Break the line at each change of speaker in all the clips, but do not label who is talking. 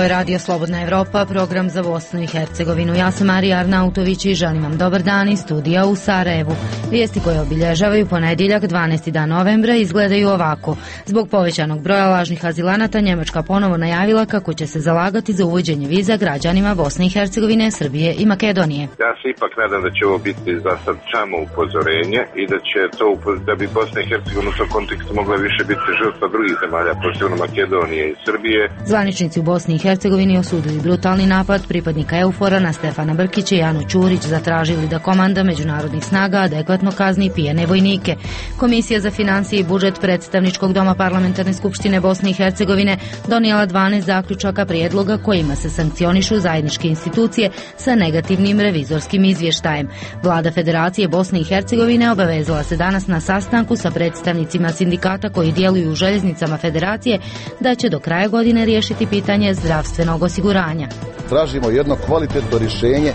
je Radio Slobodna Evropa, program za Bosnu i Hercegovinu. Ja sam Marija Arnautović i želim vam dobar dan iz studija u Sarajevu. Vijesti koje obilježavaju ponedjeljak 12. dan novembra izgledaju ovako. Zbog povećanog broja lažnih azilanata Njemačka ponovo najavila kako će se zalagati za uvođenje viza građanima Bosne i Hercegovine, Srbije i Makedonije.
Ja se ipak nadam da će ovo biti za sad samo upozorenje i da će to da bi Bosna i Hercegovina u tom kontekstu mogla više biti žrtva drugih zemalja, posebno Makedonije i Srbije.
Zvaničnici u Bosni i Hercegovini osudili brutalni napad pripadnika EUFOR-a na Stefana Brkića i Anu Ćurić, zatražili da komanda međunarodnih snaga adekvatno kazni pijane vojnike. Komisija za financije i budžet predstavničkog doma Parlamentarne skupštine Bosne i Hercegovine donijela 12 zaključaka prijedloga kojima se sankcionišu zajedničke institucije sa negativnim revizorskim izvještajem. Vlada Federacije Bosne i Hercegovine obavezala se danas na sastanku sa predstavnicima sindikata koji djeluju u željeznicama Federacije da će do kraja godine riješiti pitanje zdravstvenog osiguranja.
Tražimo jedno kvalitetno rješenje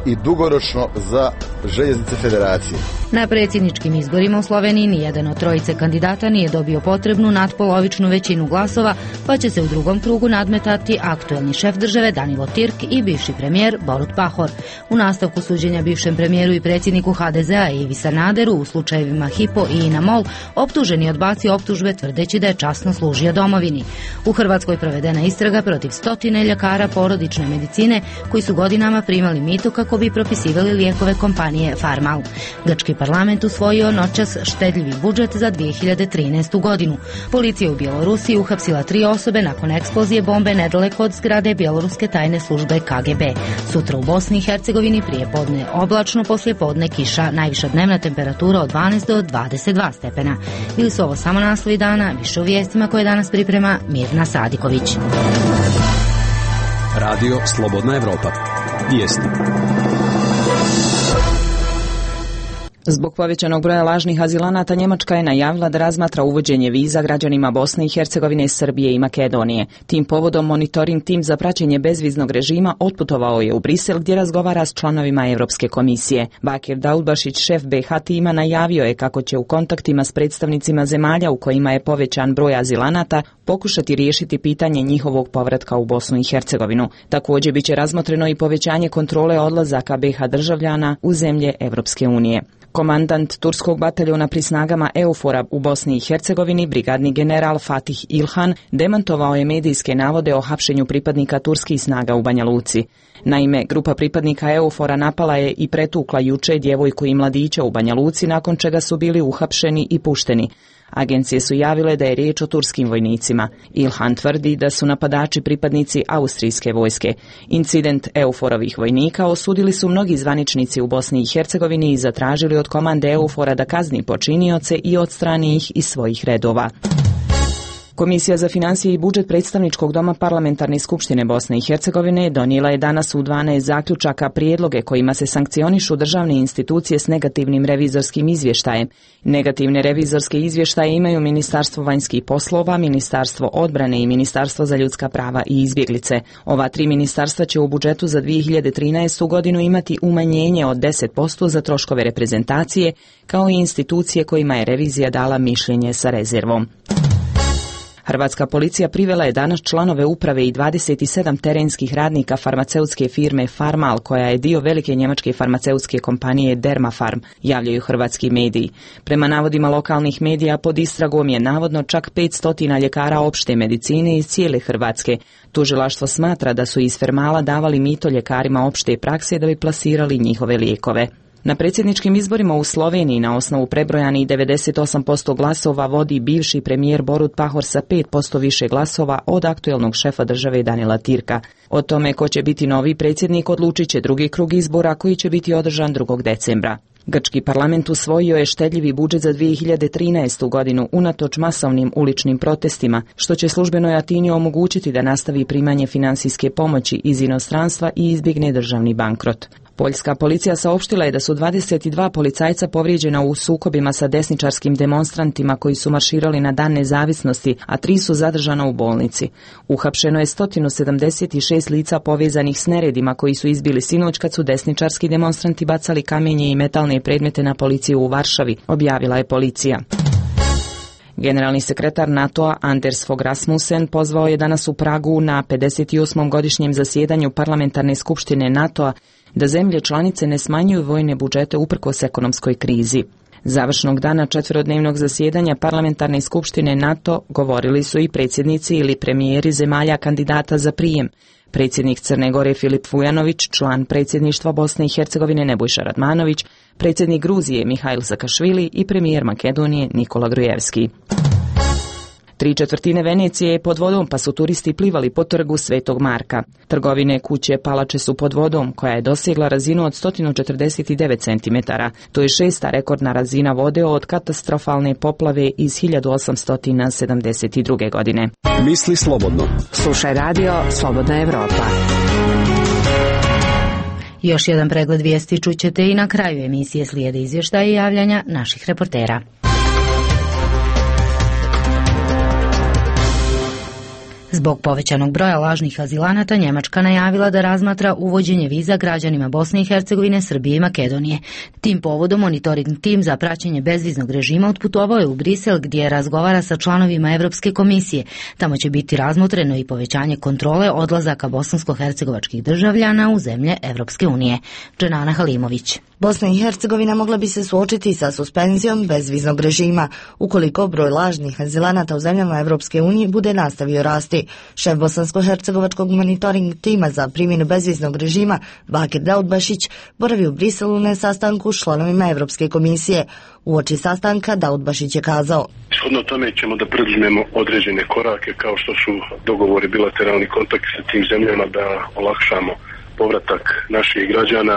i dugoročno za željeznice Federacije.
Na predsjedničkim izborima u Sloveniji nijedan od trojice kandidata nije dobio potrebnu nadpolovičnu većinu glasova, pa će se u drugom krugu nadmetati aktuelni šef države Danilo Tirk i bivši premijer Borut Pahor. U nastavku suđenja bivšem premijeru i predsjedniku HDZ-a Ivi Sanaderu u slučajevima Hypo i INA MOL optuženi je odbacio optužbe tvrdeći da je časno služio domovini. U Hrvatskoj provedena istraga protiv 100 ljekara porodične medicine koji su godinama primali mito kako bi propisivali lijekove kompanije Farmal. Grčki parlament usvojio noćas štedljivi budžet za 2013. godinu. Policija u Bjelorusiji uhapsila 3 osobe nakon eksplozije bombe nedaleko od zgrade bjeloruske tajne službe KGB. Sutra u Bosni i Hercegovini prije podne oblačno, poslije podne kiša, najviša dnevna temperatura od 12 do 22 stepena. Bili su ovo samo naslovi dana, više u vijestima koje danas priprema Mirna Sadiković.
Radio Slobodna Evropa. Vijesti.
Zbog povećanog broja lažnih azilanata Njemačka je najavila da razmatra uvođenje viza građanima Bosne i Hercegovine, Srbije i Makedonije. Tim povodom monitoring tim za praćenje bezviznog režima otputovao je u Brisel gdje razgovara s članovima Europske komisije. Bakir Daudbašić, šef BiH tima, najavio je kako će u kontaktima s predstavnicima zemalja u kojima je povećan broj azilanata pokušati riješiti pitanje njihovog povratka u Bosnu i Hercegovinu. Također biće razmotreno i povećanje kontrole odlazaka BiH državljana u zemlje Europske unije. Komandant turskog bataljona pri snagama EUFOR-a u Bosni i Hercegovini, brigadni general Fatih Ilhan, demantovao je medijske navode o hapšenju pripadnika turskih snaga u Banja Luci. Naime, grupa pripadnika EUFOR-a napala je i pretukla juče djevojku i mladića u Banja Luci, nakon čega su bili uhapšeni i pušteni. Agencije su javile da je riječ o turskim vojnicima. Ilhan tvrdi da su napadači pripadnici austrijske vojske. Incident EUFOR-ovih vojnika osudili su mnogi zvaničnici u Bosni i Hercegovini i zatražili od komande EUFOR-a da kazni počinioce i odstrani ih iz svojih redova. Komisija za financije i budžet predstavničkog doma Parlamentarne skupštine Bosne i Hercegovine donijela je danas u 12 zaključaka prijedloge kojima se sankcionišu državne institucije s negativnim revizorskim izvještajem. Negativne revizorske izvještaje imaju Ministarstvo vanjskih poslova, Ministarstvo odbrane i Ministarstvo za ljudska prava i izbjeglice. Ova 3 ministarstva će u budžetu za 2013. godinu imati umanjenje od 10% za troškove reprezentacije, kao i institucije kojima je revizija dala mišljenje sa rezervom. Hrvatska policija privela je danas članove uprave i 27 terenskih radnika farmaceutske firme Farmal, koja je dio velike njemačke farmaceutske kompanije Dermafarm, javljaju hrvatski mediji. Prema navodima lokalnih medija, pod istragom je navodno čak 500 ljekara opšte medicine iz cijele Hrvatske. Tužilaštvo smatra da su iz Farmala davali mito ljekarima opšte prakse da bi plasirali njihove lijekove. Na predsjedničkim izborima u Sloveniji na osnovu prebrojanih 98% glasova vodi bivši premijer Borut Pahor sa 5% više glasova od aktuelnog šefa države Danila Tirka. O tome ko će biti novi predsjednik odlučit će drugi krug izbora koji će biti održan 2. decembra. Grčki parlament usvojio je štedljivi budžet za 2013. godinu unatoč masovnim uličnim protestima, što će službenoj Atini omogućiti da nastavi primanje financijske pomoći iz inostranstva i izbjegne državni bankrot. Poljska policija saopštila je da su 22 policajca povrijeđena u sukobima sa desničarskim demonstrantima koji su marširali na Dan nezavisnosti, a 3 su zadržana u bolnici. Uhapšeno je 176 lica povezanih s neredima koji su izbili sinoć kad su desničarski demonstranti bacali kamenje i metalne predmete na policiju u Varšavi, objavila je policija. Generalni sekretar NATO-a Anders Fogh Rasmussen pozvao je danas u Pragu na 58. godišnjem zasjedanju Parlamentarne skupštine NATO-a da zemlje članice ne smanjuju vojne budžete uprkos ekonomskoj krizi. Završnog dana četverodnevnog zasjedanja Parlamentarne skupštine NATO govorili su i predsjednici ili premijeri zemalja kandidata za prijem. Predsjednik Crne Gore Filip Vujanović, član predsjedništva Bosne i Hercegovine Nebojša Radmanović, predsjednik Gruzije Mihail Sakašvili i premijer Makedonije Nikola Grujevski. 3/4 Venecije je pod vodom, pa su turisti plivali po trgu Svetog Marka. Trgovine, kuće, palače su pod vodom, koja je dosegla razinu od 149 cm. To je 6. rekordna razina vode od katastrofalne poplave iz 1872. godine.
Misli slobodno.
Slušaj radio Slobodna Evropa.
Još jedan pregled vijesti čućete i na kraju emisije, slijede izvještaja i javljanja naših reportera. Zbog povećanog broja lažnih azilanata, Njemačka najavila da razmatra uvođenje viza građanima Bosne i Hercegovine, Srbije i Makedonije. Tim povodom monitoring tim za praćenje bezviznog režima otputovao je u Brisel, gdje razgovara sa članovima Evropske komisije. Tamo će biti razmotreno i povećanje kontrole odlazaka bosansko-hercegovačkih državljana u zemlje Evropske unije. Dženana Halimović.
Bosna i Hercegovina mogla bi se suočiti sa suspenzijom bezviznog režima ukoliko broj lažnih azilanata u zemljama Evropske unije bude nastavio rasti. Šef bosansko-hercegovačkog monitoring tima za primjenu bezviznog režima Bakir Daudbašić boravi u Briselu na sastanku s članovima Evropske komisije. Uoči sastanka Daudbašić je kazao:
Shodno tome ćemo da preduzmemo određene korake kao što su dogovori, bilateralni kontakti sa tim zemljama da olakšamo povratak naših građana,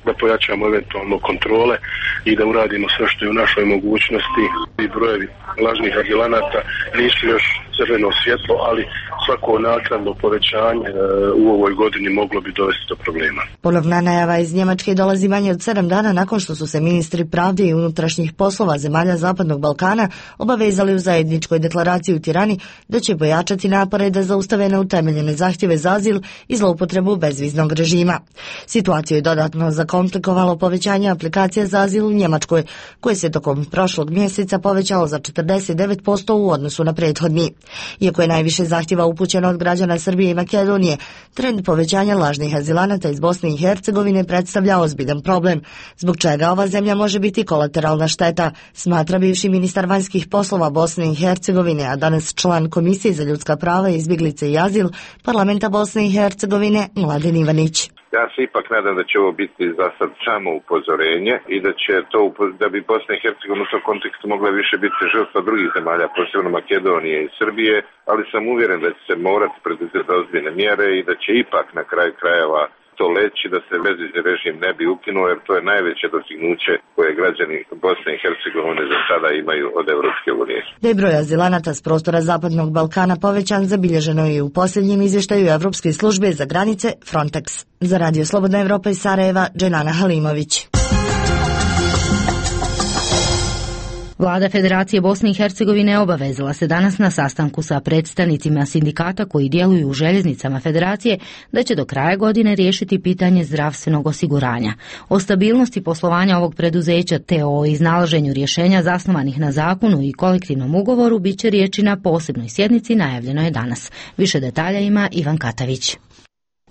da pojačamo eventualno kontrole i da uradimo sve što je u našoj mogućnosti. I brojevi lažnih azilanata nisu još crveno svjetlo, ali svako naknadno povećanje u ovoj godini moglo bi dovesti do problema.
Ponovna najava iz Njemačke dolazi manje od 7 dana nakon što su se ministri pravde i unutrašnjih poslova zemalja Zapadnog Balkana obavezali u zajedničkoj deklaraciji u Tirani da će pojačati napore da zaustave neutemeljene zahtjeve za azil i zloupotrebu bezviznog režima. Situaciju je dodatno zakomplikovalo povećanje aplikacija za azil u Njemačkoj, koje se tokom prošlog mjeseca povećalo za 49% u odnosu na prethodni. Iako je najviše zahtjeva upućeno od građana Srbije i Makedonije, trend povećanja lažnih azilanata iz Bosne i Hercegovine predstavlja ozbiljan problem, zbog čega ova zemlja može biti kolateralna šteta, smatra bivši ministar vanjskih poslova Bosne i Hercegovine, a danas član Komisije za ljudska prava, izbjeglice i azil Parlamenta Bosne i Hercegovine Mladen Ivanić.
Ja se ipak nadam da će ovo biti za sad samo upozorenje i da će to, da bi Bosna i Hercegovina u tom kontekstu mogla više biti žrtva drugih zemalja, posebno Makedonije i Srbije, ali sam uvjeren da će se morati preduzeti ozbiljne mjere i da će ipak na kraju krajeva to leći, da se bezvizni režim ne bi ukinuo, jer to je najveće dostignuće koje građani Bosne i Hercegovine za sada imaju od Evropske unije.
Da je broj azilanata s prostora Zapadnog Balkana povećan, zabilježeno je u posljednjem izvještaju Evropske službe za granice Frontex. Za Radio Slobodna Evropa iz Sarajeva, Dženana Halimović.
Vlada Federacije Bosne i Hercegovine obavezala se danas na sastanku sa predstavnicima sindikata koji djeluju u željeznicama Federacije da će do kraja godine riješiti pitanje zdravstvenog osiguranja. O stabilnosti poslovanja ovog preduzeća te o iznalaženju rješenja zasnovanih na zakonu i kolektivnom ugovoru bit će riječi na posebnoj sjednici, najavljeno je danas. Više detalja ima Ivan Katavić.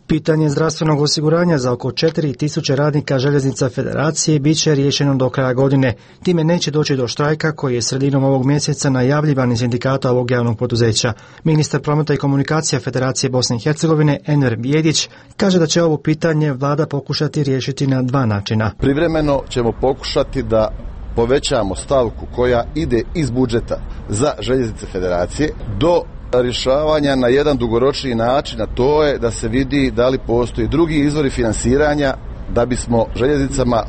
Pitanje zdravstvenog osiguranja za oko 4000 radnika željeznica Federacije bit će riješeno do kraja godine. Time neće doći do štrajka koji je sredinom ovog mjeseca najavljivan iz sindikata ovog javnog poduzeća. Ministar prometa i komunikacija Federacije Bosne i Hercegovine Enver Bijedić kaže da će ovo pitanje vlada pokušati riješiti na dva načina.
Privremeno ćemo pokušati da povećamo stavku koja ide iz budžeta za željeznice Federacije do rješavanja na jedan dugoročni način, a to je da se vidi da li postoji drugi izvori finansiranja da bismo željeznicama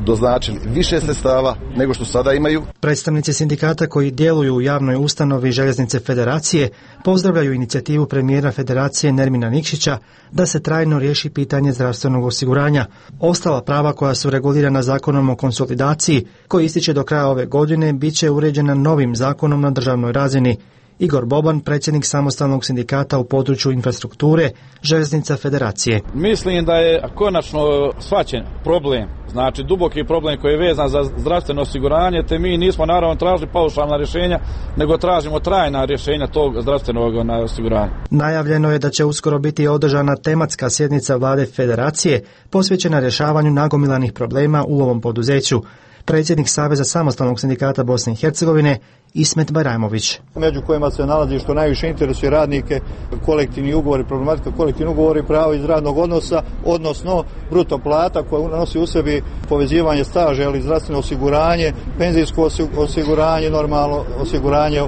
doznačili više sredstava nego što sada imaju.
Predstavnici sindikata koji djeluju u javnoj ustanovi željeznice Federacije pozdravljaju inicijativu premijera Federacije Nermina Nikšića da se trajno riješi pitanje zdravstvenog osiguranja. Ostala prava koja su regulirana zakonom o konsolidaciji, koji ističe do kraja ove godine, bit će uređena novim zakonom na državnoj razini. Igor Boban, predsjednik samostalnog sindikata u području infrastrukture Željeznica Federacije.
Mislim da je konačno shvaćen problem, znači duboki problem koji je vezan za zdravstveno osiguranje, te mi nismo naravno tražili paušalna rješenja, nego tražimo trajna rješenja tog zdravstvenog osiguranja.
Najavljeno je da će uskoro biti održana tematska sjednica vlade Federacije posvećena rješavanju nagomilanih problema u ovom poduzeću. Predsjednik Saveza samostalnog sindikata Bosne i Hercegovine Ismet Bajramović.
Među kojima se nalazi što najviše interesuje radnike, kolektivni ugovori, problematika kolektivni ugovori, pravo iz radnog odnosa, odnosno bruto plata koja nosi u sebi povezivanje staža ili zdravstveno osiguranje, penzijsko osiguranje, normalno osiguranje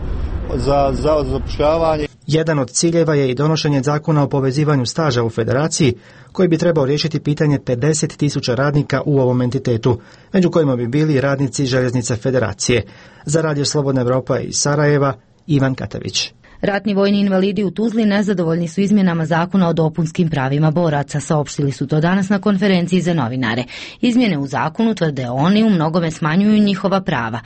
za zavod za zapošljavanje.
Jedan od ciljeva je i donošenje zakona o povezivanju staža u Federaciji, koji bi trebao riješiti pitanje 50.000 radnika u ovom entitetu, među kojima bi bili radnici Željeznice Federacije. Za Radio Slobodna Evropa iz Sarajeva, Ivan Katavić.
Ratni vojni invalidi u Tuzli nezadovoljni su izmjenama zakona o dopunskim pravima boraca, saopštili su to danas na konferenciji za novinare. Izmjene u zakonu, tvrde oni, u mnogome smanjuju njihova prava.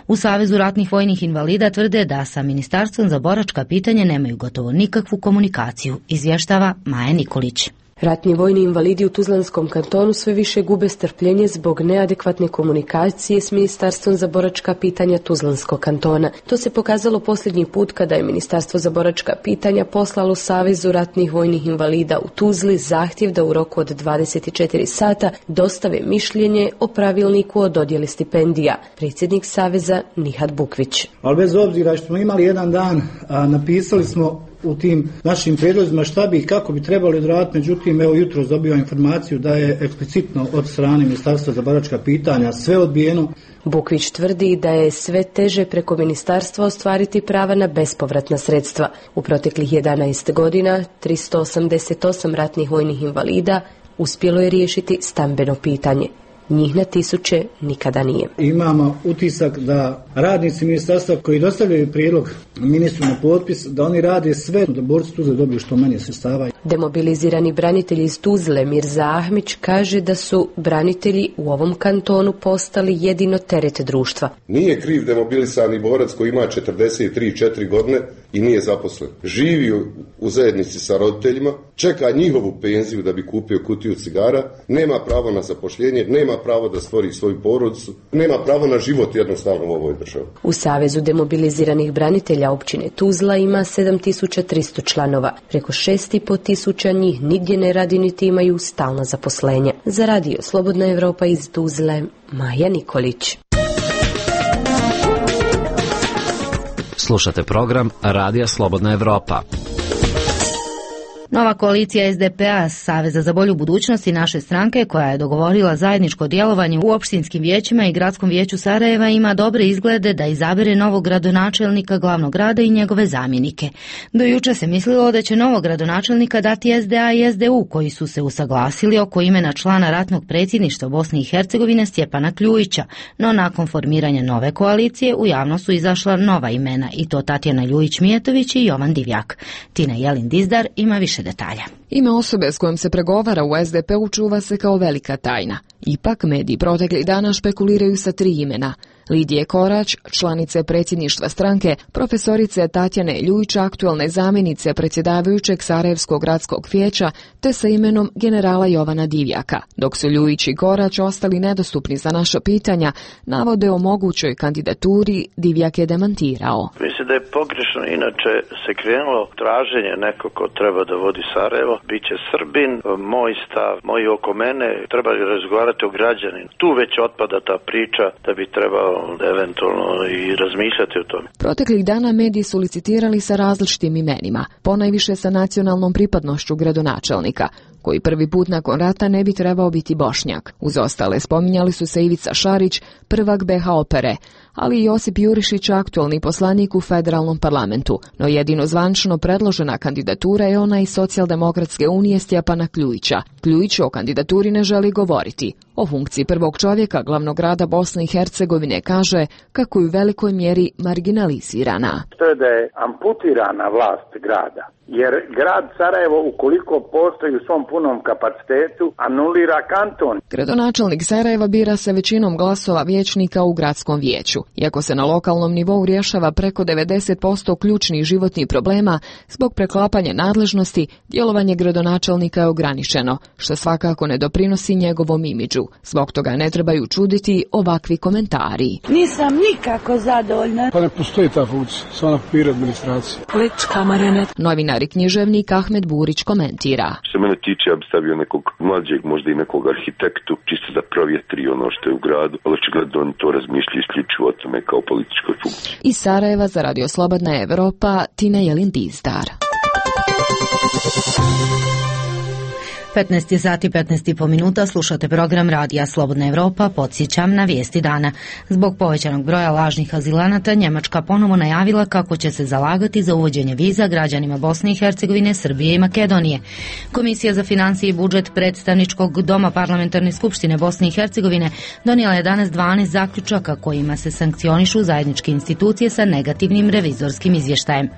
U Savezu ratnih vojnih invalida tvrde da sa Ministarstvom za boračka pitanja nemaju gotovo nikakvu komunikaciju, izvještava Maja Nikolić.
Ratni vojni invalidi u Tuzlanskom kantonu sve više gube strpljenje zbog neadekvatne komunikacije s Ministarstvom za boračka pitanja Tuzlanskog kantona. To se pokazalo posljednji put kada je Ministarstvo za boračka pitanja poslalo Savezu ratnih vojnih invalida u Tuzli zahtjev da u roku od 24 sata dostave mišljenje o pravilniku o dodjeli stipendija. Predsjednik Saveza Nihat Bukvić.
Ali bez obzira što smo imali jedan dan, napisali smo u tim našim prijedlozima šta bi i kako bi trebali odraditi, međutim evo jutros dobio informaciju da je eksplicitno od strane Ministarstva za boračka pitanja sve odbijeno.
Bukvić tvrdi da je sve teže preko ministarstva ostvariti prava na bespovratna sredstva. U proteklih 11 godina 388 ratnih vojnih invalida uspjelo je riješiti stambeno pitanje. Njih na tisuće nikada nije.
Imamo utisak da radnici ministarstva koji dostavljaju prijedlog ministru na potpis, da oni rade sve da borci Tuzle dobiju što manje sredstava.
Demobilizirani branitelj iz Tuzle Mirza Ahmić kaže da su branitelji u ovom kantonu postali jedino teret društva.
Nije kriv demobilisani borac koji ima 43-4 godine i nije zaposlen. Živi u zajednici sa roditeljima, čeka njihovu penziju da bi kupio kutiju cigara, nema pravo na zapošljenje, nema pravo da stvori svoju porodicu, nema pravo na život jednostavno u ovoj državi.
U Savezu demobiliziranih branitelja općine Tuzla ima 7300 članova. Preko 6500 njih nigdje ne radi niti imaju stalna zaposlenja. Za Radio Slobodna Evropa iz Tuzle, Maja Nikolić.
Slušate program Radija Slobodna Evropa.
Nova koalicija SDP-a, Saveza za bolju budućnost i naše stranke, koja je dogovorila zajedničko djelovanje u opštinskim vijećima i gradskom vijeću Sarajeva, ima dobre izglede da izabere novog gradonačelnika glavnog grada i njegove zamjenike. Do juče se mislilo da će novog gradonačelnika dati SDA i SDU, koji su se usaglasili oko imena člana ratnog predsjedništva Bosne i Hercegovine Stjepana Kljujića, no nakon formiranja nove koalicije u javnost su izašla nova imena, i to Tatjana Ljujić-Mijetović i Jovan Divjak. Tina Jelin Dizdar ima više detalja.
Ime osobe s kojom se pregovara u SDP-u čuva se kao velika tajna. Ipak mediji proteklih dana špekuliraju sa 3 imena. Lidije Korać, članice predsjedništva stranke, profesorice Tatjane Ljujić, aktualne zamjenice predsjedavajućeg Sarajevskog gradskog vijeća, te sa imenom generala Jovana Divjaka. Dok su Ljujić i Korać ostali nedostupni za naša pitanja, navode o mogućoj kandidaturi Divjak je demantirao.
Mislim da je pogrešno, inače se krenulo traženje neko ko treba da vodi Sarajevo, bit će Srbin, moj stav, moji oko mene, treba razgovarati o građaninu. Tu već otpada ta priča da bi trebao eventualno i razmišljati o tome.
Proteklih dana mediji su licitirali sa različitim imenima, ponajviše sa nacionalnom pripadnošću gradonačelnika, koji prvi put nakon rata ne bi trebao biti Bošnjak. Uz ostale spominjali su se Ivica Šarić, prvak BH Opere, ali i Josip Jurišić, aktualni poslanik u federalnom parlamentu. No jedino zvančno predložena kandidatura je ona iz Socijaldemokratske unije Stjepana Kljujića. Kljujić o kandidaturi ne želi govoriti. O funkciji prvog čovjeka glavnog grada Bosne i Hercegovine kaže kako je u velikoj mjeri marginalizirana.
To je da je amputirana vlast grada. Jer grad Sarajevo, ukoliko postoji u svom punom kapacitetu, anulira kanton.
Gradonačelnik Sarajeva bira se većinom glasova vijećnika u gradskom vijeću. Iako se na lokalnom nivou rješava preko 90% ključnih životnih problema, zbog preklapanja nadležnosti, djelovanje gradonačelnika je ograničeno, što svakako ne doprinosi njegovom imidžu. Zbog toga ne trebaju čuditi ovakvi komentari.
Nisam nikako zadovoljna.
Pa ne postoji ta funkcija, samo na papiru administracije.
Politička marionet.
Novinar i književnik Ahmed Burić komentira.
Što mene tiče, ja bi stavio nekog mlađeg, možda i nekog arhitektu, čisto da provjetri ono što je u gradu, ali očigledno oni to razmišljaju isključivo o tome kao političkoj funkciji.
Iz Sarajeva za Radio Slobodna Evropa, Tina Jelin Dizdar.
15 sati 15,5 minuta, slušate program Radija Slobodna Evropa. Podsjećam na vijesti dana. Zbog povećanog broja lažnih azilanata, Njemačka ponovo najavila kako će se zalagati za uvođenje viza građanima Bosne i Hercegovine, Srbije i Makedonije. Komisija za financije i budžet predstavničkog doma Parlamentarne skupštine Bosne i Hercegovine donijela je danas 12 zaključaka kojima se sankcionišu zajedničke institucije sa negativnim revizorskim izvještajem.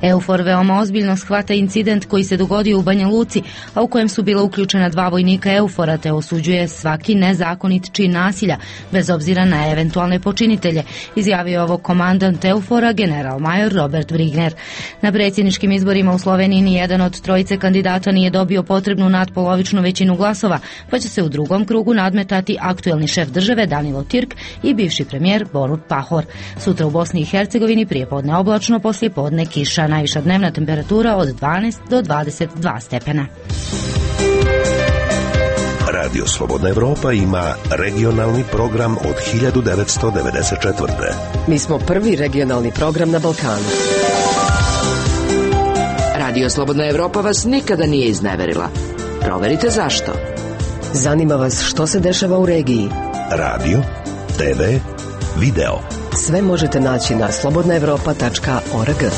EUFOR veoma ozbiljno shvata incident koji se dogodio u Banja Luci, a u kojem su bila uključena 2 vojnika EUFOR-a, te osuđuje svaki nezakonit čin nasilja, bez obzira na eventualne počinitelje, izjavio ovo komandant EUFOR-a general major Robert Brigner. Na predsjedničkim izborima u Sloveniji nijedan od trojice kandidata nije dobio potrebnu nadpolovičnu većinu glasova, pa će se u drugom krugu nadmetati aktuelni šef države Danilo Tirk i bivši premijer Borut Pahor. Sutra u Bosni i Hercegovini prijepodne oblačno, poslijepodne kiša, najviša dnevna temperatura od 12 do 22 stepena.
Radio Slobodna Evropa ima regionalni program od 1994.
Mi smo prvi regionalni program na Balkanu. Radio Slobodna Evropa vas nikada nije izneverila. Proverite zašto. Zanima vas što se dešava u regiji.
Radio, TV, video.
Sve možete naći na slobodnaevropa.org.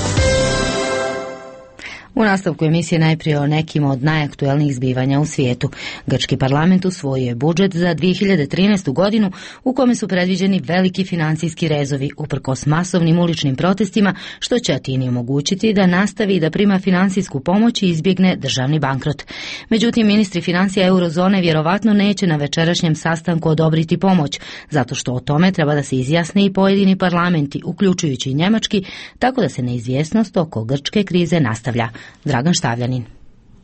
U nastavku emisije najprije o nekim od najaktuelnijih zbivanja u svijetu. Grčki parlament usvojio je budžet za 2013. godinu u kome su predviđeni veliki financijski rezovi uprkos masovnim uličnim protestima, što će Atini omogućiti da nastavi da prima financijsku pomoć i izbjegne državni bankrot. Međutim, ministri financija eurozone vjerovatno neće na večerašnjem sastanku odobriti pomoć, zato što o tome treba da se izjasne i pojedini parlamenti, uključujući i njemački, tako da se neizvjesnost oko grčke krize nastavlja. Dragan Štavljanin.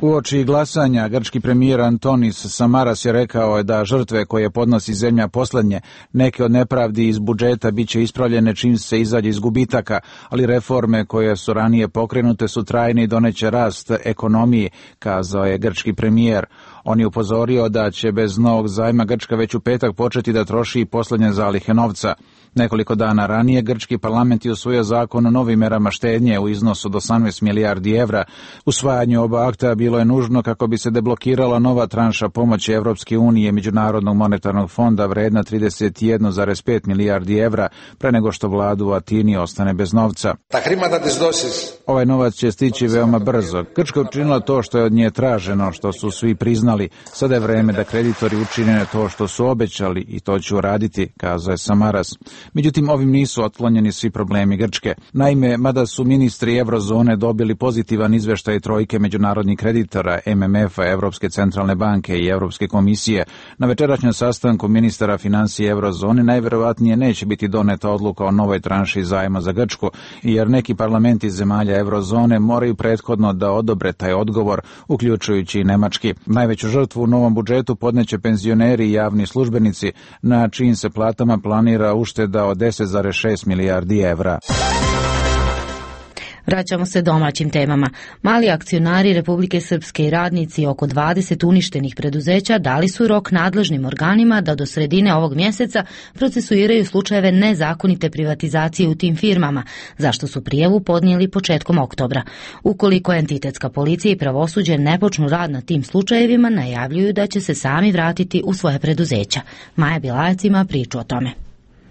Uoči glasanja, grčki premijer Antonis Samaras je rekao da žrtve koje podnosi zemlja posljednje, neke od nepravdi iz budžeta bit će ispravljene čim se izađe iz gubitaka, ali reforme koje su ranije pokrenute su trajne i doneće rast ekonomiji, kazao je grčki premijer. On je upozorio da će bez novog zajma Grčka već u petak početi da troši posljednje zalihe novca. Nekoliko dana ranije grčki parlament je usvojio zakon o novim merama štednje u iznosu od 18 milijardi evra. Usvajanje oba akta bilo je nužno kako bi se deblokirala nova tranša pomoći Evropske unije i Međunarodnog monetarnog fonda vredna 31,5 milijardi evra pre nego što vladu u Atini ostane bez novca. Ovaj novac će stići veoma brzo. Grčka učinila to što je od nje traženo, što su svi priznali. Sada je vreme da kreditori učine to što su obećali i to će uraditi, kazao je Samaras. Međutim, ovim nisu otklonjeni svi problemi Grčke. Naime, mada su ministri Eurozone dobili pozitivan izvještaj trojke međunarodnih kreditora, MMF-a, Evropske centralne banke i Europske komisije, na večerašnjem sastanku ministara financije Eurozone najvjerovatnije neće biti doneta odluka o novoj tranši zajma za Grčku, jer neki parlamenti zemalja Eurozone moraju prethodno da odobre taj odgovor, uključujući i nemački. Najveću žrtvu u novom budžetu podneće penzioneri i javni službenici, na čijim se platama planira ušteda od 10,6 milijardi evra.
Vraćamo se domaćim temama. Mali akcionari Republike Srpske i radnici oko 20 uništenih preduzeća dali su rok nadležnim organima da do sredine ovog mjeseca procesuiraju slučajeve nezakonite privatizacije u tim firmama, zašto su prijavu podnijeli početkom oktobra. Ukoliko entitetska policija i pravosuđe ne počnu rad na tim slučajevima, najavljuju da će se sami vratiti u svoje preduzeća. Maja Bilajac ima priču o tome.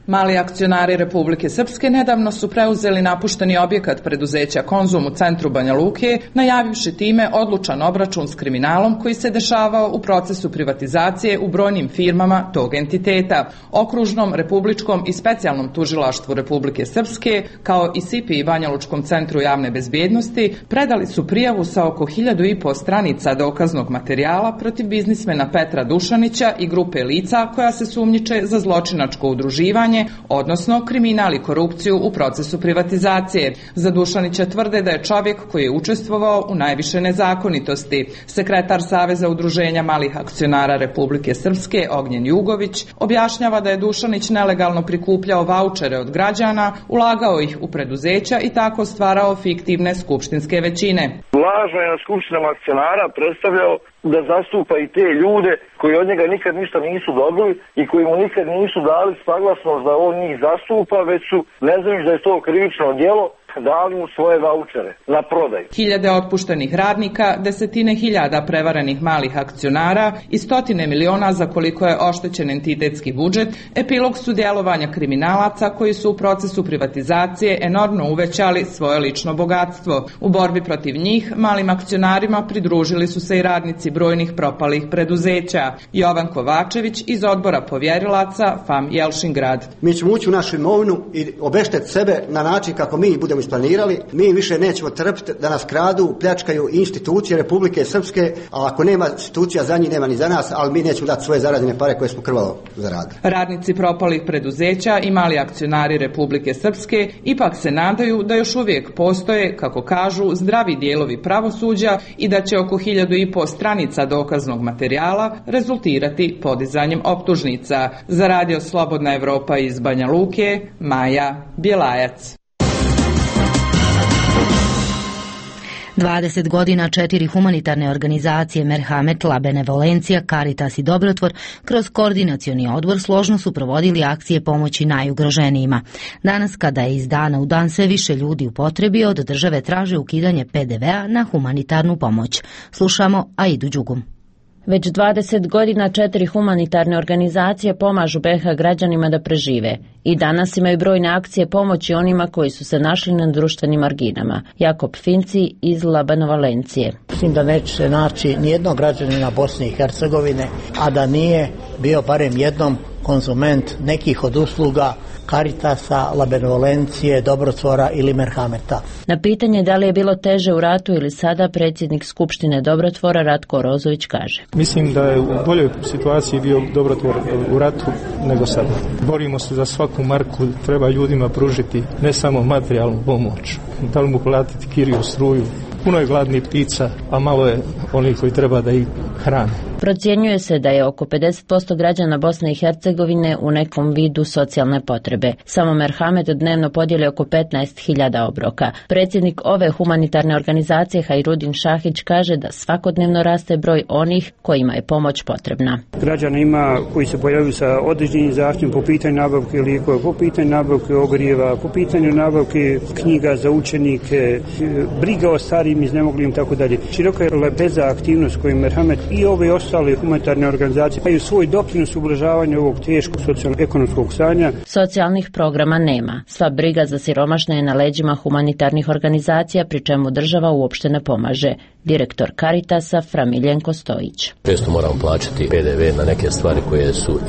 Mali akcionari Republike Srpske nedavno su preuzeli napušteni objekat preduzeća Konzum u centru Banja Luke, najavivši time odlučan obračun s kriminalom koji se dešavao u procesu privatizacije u brojnim firmama tog entiteta. Okružnom, republičkom i specijalnom tužilaštvu Republike Srpske, kao i SIPI i Banja Lučkom centru javne bezbjednosti, predali su prijavu sa oko 1500 stranica dokaznog materijala protiv biznismena Petra Dušanića i grupe lica koja se sumnjiče za zločinačko udruživanje, odnosno kriminal i korupciju u procesu privatizacije. Za Dušanića tvrde da je čovjek koji je učestvovao u najviše nezakonitosti. Sekretar Saveza udruženja malih akcionara Republike Srpske, Ognjen Jugović, objašnjava da je Dušanić nelegalno prikupljao vaučere od građana, ulagao ih u preduzeća i tako stvarao fiktivne skupštinske većine.
Lažno je na skupštinama akcionara predstavljao da zastupa i te ljude koji od njega nikad ništa nisu dobili i koji mu nikad nisu dali saglasnost da on njih zastupa, već su, ne znajući da je to krivično djelo, dali mu svoje vaučere na prodaju.
Hiljade otpuštenih radnika, desetine hiljada prevarenih malih akcionara i stotine miliona za koliko je oštećen entitetski budžet, epilog su djelovanja kriminalaca koji su u procesu privatizacije enormno uvećali svoje lično bogatstvo. U borbi protiv njih, malim akcionarima pridružili su se i radnici brojnih propalih preduzeća. Jovan Kovačević iz odbora povjerilaca FAM Jelšingrad.
Mi ćemo ući u našu imovinu i obeštetiti sebe na način kako mi budemo isplanirali. Mi više nećemo trpiti da nas kradu, pljačkaju institucije Republike Srpske, a ako nema institucija za njih, nema ni za nas, ali mi nećemo dati svoje zarađene pare koje smo krvavo zaradili.
Radnici propalih preduzeća i mali akcionari Republike Srpske ipak se nadaju da još uvijek postoje, kako kažu, zdravi dijelovi pravosuđa i da će oko 1500 stranica dokaznog materijala rezultirati podizanjem optužnica. Za Radio Slobodna Evropa iz Banja Luke, Maja Bjelajac.
20 godina 4 humanitarne organizacije Merhamet, La Benevolencija, Caritas i Dobrotvor kroz koordinacioni odbor složno su provodili akcije pomoći najugroženijima. Danas, kada je iz dana u dan sve više ljudi u potrebi, od države traže ukidanje PDV-a na humanitarnu pomoć. Slušamo Aidu Đugum.
Već 20 godina 4 humanitarne organizacije pomažu BiH građanima da prežive. I danas imaju brojne akcije pomoći onima koji su se našli na društvenim marginama. Jakob Finci iz La Benevolencije.
Mislim da neće se naći nijednog građanina Bosne i Hercegovine, a da nije bio barem jednom konzument nekih od usluga Caritasa, La Benevolencije, Dobrotvora ili Merhameta.
Na pitanje da li je bilo teže u ratu ili sada, predsjednik Skupštine Dobrotvora Ratko Rozović kaže:
Mislim da je u boljoj situaciji bio Dobrotvor u ratu nego sada. Borimo se za svaku marku, treba ljudima pružiti ne samo materijalnu pomoć, da li mu platiti kiriju, struju. Puno je gladnih ptica, a malo je onih koji treba da ih hrane.
Procjenjuje se da je oko 50% građana Bosne i Hercegovine u nekom vidu socijalne potrebe. Samo Merhamet dnevno podijeli oko 15.000 obroka. Predsjednik ove humanitarne organizacije Hajrudin Šahić kaže da svakodnevno raste broj onih kojima je pomoć potrebna.
Građana ima koji se pojavljaju sa određenim zahtjevom po pitanju nabavke lijekova, po pitanju nabavke ogrijeva, po pitanju nabavke knjiga za učenike, briga o starijim iznemoglim i tako dalje. Široka je lepeza aktivnost koju Merhamet i ove ostale humanitarne organizacije imaju svoj doprinos u ublažavanju ovog teškog socijalno-ekonomskog stanja.
Socijalnih programa nema. Sva briga za siromašne je na leđima humanitarnih organizacija, pri čemu država uopšte ne pomaže. Direktor Caritasa Framiljenko Stojić.
Često moramo plaćati PDV na neke stvari koje su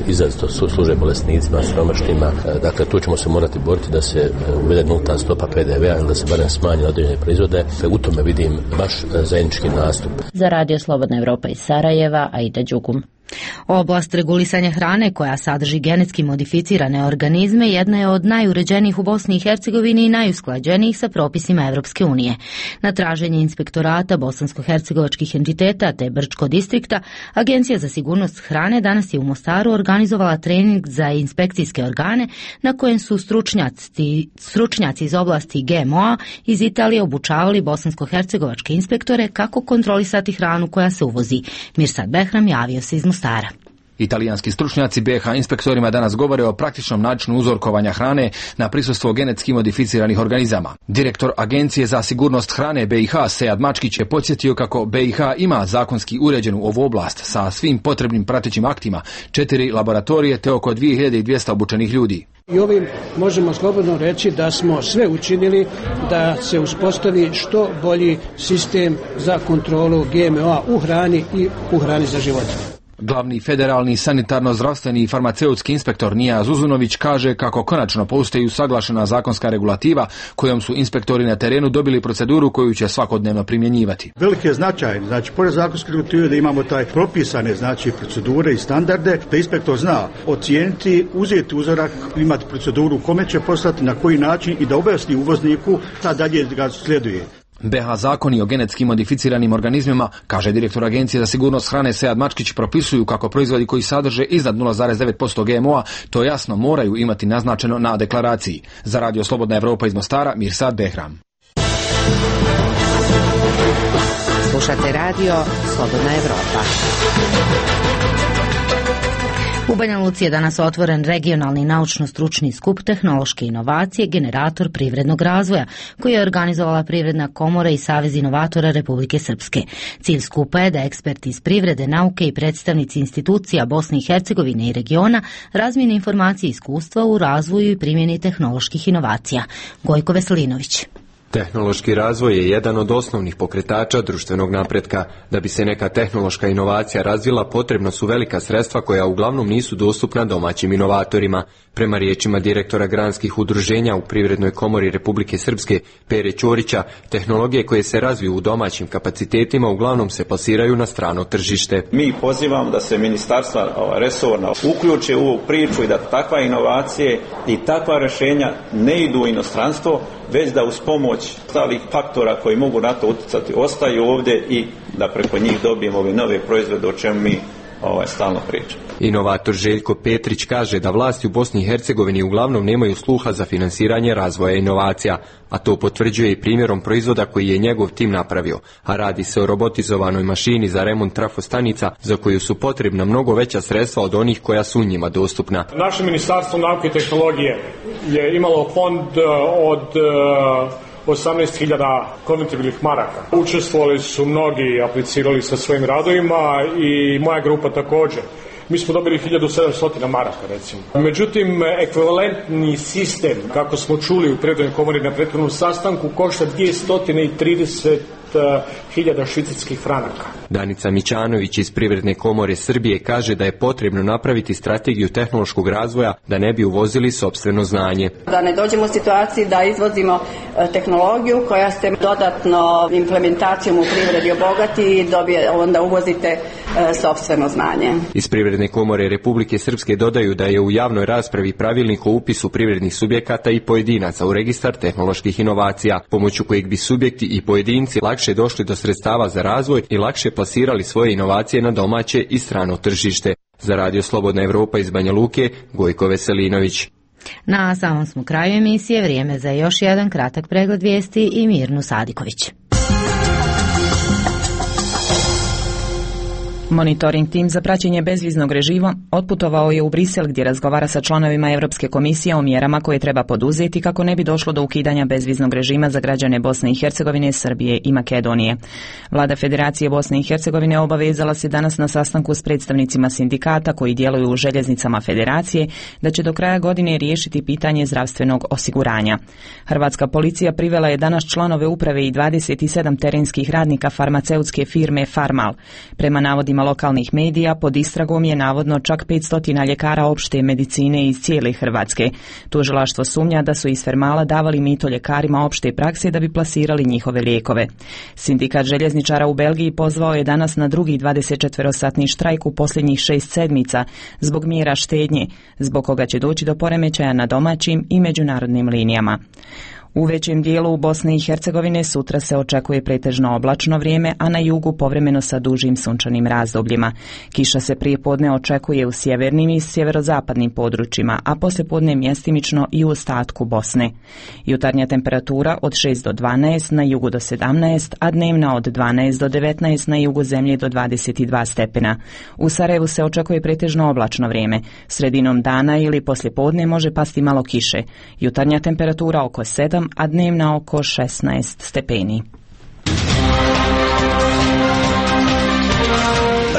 izrazito služe bolesnicima, siromašnima. Dakle, tu ćemo se morati boriti da se uvede nulta stopa PDV-a ili da se barem smanji određene proizvode. U tome vidim baš zajednički nastup.
Za Radio Slobodna Evropa iz Sarajeva, Aida Đugum.
Oblast regulisanja hrane koja sadrži genetski modificirane organizme jedna je od najuređenijih u Bosni i Hercegovini i najusklađenijih sa propisima Evropske unije. Na traženje inspektorata bosansko-hercegovačkih entiteta te Brčko distrikta, Agencija za sigurnost hrane danas je u Mostaru organizovala trening za inspekcijske organe na kojem su stručnjaci iz oblasti GMO-a iz Italije obučavali bosansko-hercegovačke inspektore kako kontrolisati hranu koja se uvozi. Mirsad Behram javio se iz Mostara.
Italijanski stručnjaci BiH inspektorima danas govore o praktičnom načinu uzorkovanja hrane na prisustvo genetski modificiranih organizama. Direktor Agencije za sigurnost hrane BiH Sead Mačkić je podsjetio kako BiH ima zakonski uređenu ovu oblast sa svim potrebnim pratećim aktima, 4 laboratorije te oko 2200 obučenih ljudi.
I ovim možemo slobodno reći da smo sve učinili da se uspostavi što bolji sistem za kontrolu GMO-a u hrani i u hrani za životinje.
Glavni federalni sanitarno-zdravstveni i farmaceutski inspektor Nija Zuzunović kaže kako konačno postoji usaglašena zakonska regulativa kojom su inspektori na terenu dobili proceduru koju će svakodnevno primjenjivati.
Veliki je značaj, pored zakonske regulative da imamo taj propisane, procedure i standarde, da inspektor zna ocijeniti, uzeti uzorak, imati proceduru kome će poslati, na koji način i da objasni uvozniku šta dalje ga slijeduje.
BiH zakoni o genetski modificiranim organizmima, kaže direktor Agencije za sigurnost hrane Sead Mačkić, propisuju kako proizvodi koji sadrže iznad 0,9% GMO-a to jasno moraju imati naznačeno na deklaraciji. Za Radio Slobodna Evropa iz Mostara, Mirsad Behram.
Slušate Radio Slobodna Evropa.
U Banja Luci je danas otvoren regionalni naučno-stručni skup tehnološke inovacije, generator privrednog razvoja, koji je organizovala Privredna komora i Savez inovatora Republike Srpske. Cilj skupa je da eksperti iz privrede, nauke i predstavnici institucija Bosne i Hercegovine i regiona razmijene informacije i iskustva u razvoju i primjeni tehnoloških inovacija. Gojko Veselinović.
Tehnološki razvoj je jedan od osnovnih pokretača društvenog napretka. Da bi se neka tehnološka inovacija razvila, potrebna su velika sredstva koja uglavnom nisu dostupna domaćim inovatorima. Prema riječima direktora granskih udruženja u Privrednoj komori Republike Srpske, Pere Ćorića, tehnologije koje se razviju u domaćim kapacitetima uglavnom se plasiraju na strano tržište.
Mi pozivamo da se ministarstva resorna uključe u ovu priču i da takva inovacije i takva rješenja ne idu u inostranstvo, već da uz pomoć ostalih faktora koji mogu na to utjecati ostaju ovdje i da preko njih dobijemo ove nove proizvode o čemu mi stalno pričamo.
Inovator Željko Petrić kaže da vlasti u Bosni i Hercegovini uglavnom nemaju sluha za finansiranje razvoja inovacija, a to potvrđuje i primjerom proizvoda koji je njegov tim napravio, a radi se o robotizovanoj mašini za remont trafostanica za koju su potrebna mnogo veća sredstva od onih koja su njima dostupna.
Naše Ministarstvo nauke i tehnologije je imalo fond od 18.000 konvertibilnih maraka. Učestvovali su mnogi, aplicirali sa svojim radovima i moja grupa također. Mi smo dobili 1700 maraka, recimo. Međutim, ekvivalentni sistem, kako smo čuli u Privrednoj komori na prethodnom sastanku, košta 230.000 švicarskih franaka.
Danica Mićanović iz Privredne komore Srbije kaže da je potrebno napraviti strategiju tehnološkog razvoja da ne bi uvozili sopstveno znanje.
Da ne dođemo u situaciji da izvozimo tehnologiju koja se dodatno implementacijom u privredi obogati i onda uvozite sopstveno znanje.
Iz Privredne komore Republike Srpske dodaju da je u javnoj raspravi pravilnik o upisu privrednih subjekata i pojedinaca u registar tehnoloških inovacija, pomoću kojeg bi subjekti i pojedinci lakše došli do sredstava za razvoj i lakše plasirali svoje inovacije na domaće i strano tržište. Za Radio Slobodna Evropa iz Banja Luke, Gojko Veselinović.
Na samom smo kraju emisije, vrijeme za još jedan kratak pregled vijesti i Mirnu Sadiković.
Monitoring tim za praćenje bezviznog režima otputovao je u Brisel gdje razgovara sa članovima Europske komisije o mjerama koje treba poduzeti kako ne bi došlo do ukidanja bezviznog režima za građane Bosne i Hercegovine, Srbije i Makedonije. Vlada Federacije Bosne i Hercegovine obavezala se danas na sastanku s predstavnicima sindikata koji djeluju u željeznicama Federacije da će do kraja godine riješiti pitanje zdravstvenog osiguranja. Hrvatska policija privela je danas članove uprave i 27 terenskih radnika farmaceutske firme Farmal. Prema navodima lokalnih medija, pod istragom je navodno čak 500 ljekara opšte medicine iz cijele Hrvatske. Tužilaštvo sumnja da su iz Farmala davali mito ljekarima opšte prakse da bi plasirali njihove lijekove. Sindikat željezničara u Belgiji pozvao je danas na drugi 24-satni štrajk u posljednjih 6 sedmica zbog mjera štednje, zbog koga će doći do poremećaja na domaćim i međunarodnim linijama. U većem dijelu Bosne i Hercegovine sutra se očekuje pretežno oblačno vrijeme, a na jugu povremeno sa dužim sunčanim razdobljima. Kiša se prije podne očekuje u sjevernim i sjeverozapadnim područjima, a poslijepodne mjestimično i u ostatku Bosne. Jutarnja temperatura od 6 do 12, na jugu do 17, a dnevna od 12 do 19, na jugu zemlje do 22 stepena. U Sarajevu se očekuje pretežno oblačno vrijeme. Sredinom dana ili poslijepodne može pasti malo kiše. Jutarnja temperatura oko 7, a dnevna oko 16 stepeni.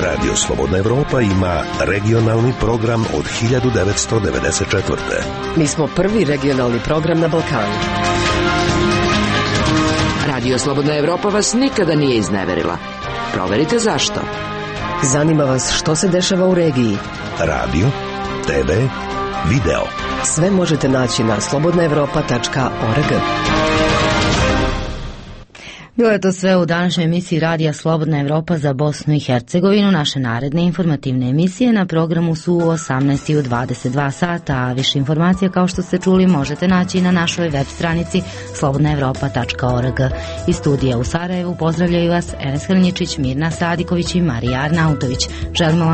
Radio Slobodna Evropa ima regionalni program od 1994.
Mi smo prvi regionalni program na Balkanu. Radio Slobodna Evropa vas nikada nije izneverila. Proverite zašto. Zanima vas što se dešava u regiji.
Radio, TV, video.
Sve možete naći na slobodnaevropa.org.
Bilo je to sve u današnjoj emisiji Radija Slobodna Evropa za Bosnu i Hercegovinu. Naše naredne informativne emisije na programu su u 18 i u 22 sata, a više informacija kao što ste čuli možete naći na našoj web stranici slobodnaevropa.org. Iz studija u Sarajevu pozdravljaju vas Enes Hrnjičić, Mirna Sadiković i Marija Arnautović. Želimo vam